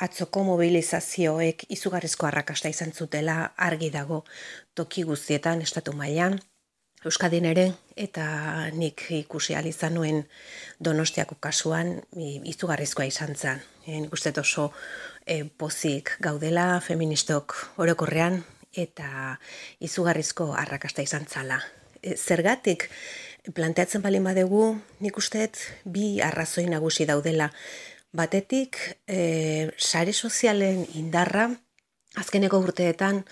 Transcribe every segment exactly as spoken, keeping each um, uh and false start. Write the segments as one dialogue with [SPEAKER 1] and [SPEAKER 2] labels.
[SPEAKER 1] Atzoko mobilizazioek izugarrizko arrakasta izan zutela argi dago toki guztietan estatu mailan, Euskadin ere, eta nik ikusi ahal izan nuen Donostiako kasuan i- izugarrizkoa izan zen. E, nik uste dut oso e, pozik gaudela feministok orokorrean eta izugarrizko arrakasta izan zala. E, zergatik planteatzen balin badegu, nik uste dut bi arrazoi nagusi daudela. Batetik, e, sare sozialen indarra azkeneko urteetan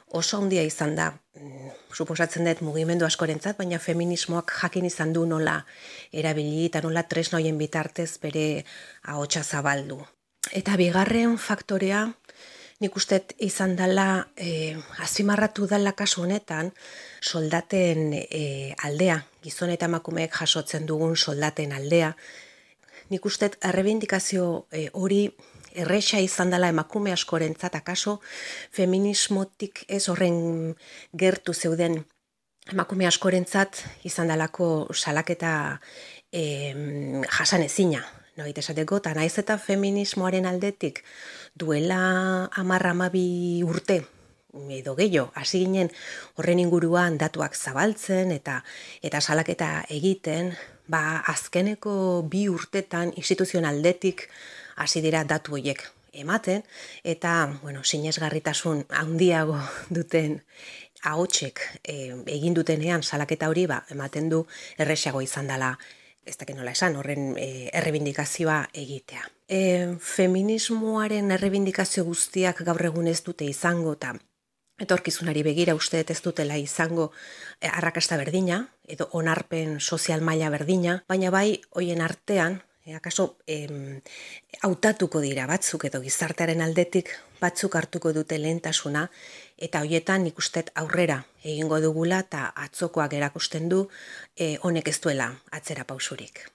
[SPEAKER 1] oso handia izan da. Mm, Suposatzen dut mugimendu askorentzat, baina feminismoak jakin izan du nola erabili eta nola tresna horien bitartez bere ahotsa zabaldu. Eta bigarren faktorea, nik uste dut izan dela, e, azpimarratu dela kasu honetan, soldaten e, aldea, gizon eta emakumeek jasotzen dugun soldaten aldea. Nik uste dut errebindikazio e, hori erresa izan dela emakume askorentzat, akaso feminismotik ez horren gertu zeuden emakume askorentzat izan dalako salaketa e, jasanezina. Noit esateko, eta naiz eta feminismoaren aldetik duela hamar hamabi urte edo gehiago, hasi ginen horren inguruan datuak zabaltzen eta eta salaketa egiten, ba azkeneko bi urtetan instituzioen aldetik hasi dira datu horiek ematen, eta bueno, sinesgarritasun handiago duten ahotsek e, egin dutenean salaketa hori ba, ematen du erresago izan dela, ez dakit nola esan, horren e, errebindikazioa egitea. E, feminismoaren errebindikazio guztiak gaur egun ez dute izango, eta etorkizunari begira uste dut ez dutela izango e, arrakasta berdina, edo onarpen sozial maila berdina, baina bai hoien artean, e, akaso em, hautatuko dira batzuk edo gizartearen aldetik batzuk hartuko dute lehentasuna, eta hoietan nik uste dut aurrera egingo dugula eta atzokoak erakusten du e, honek ez duela atzera pausurik.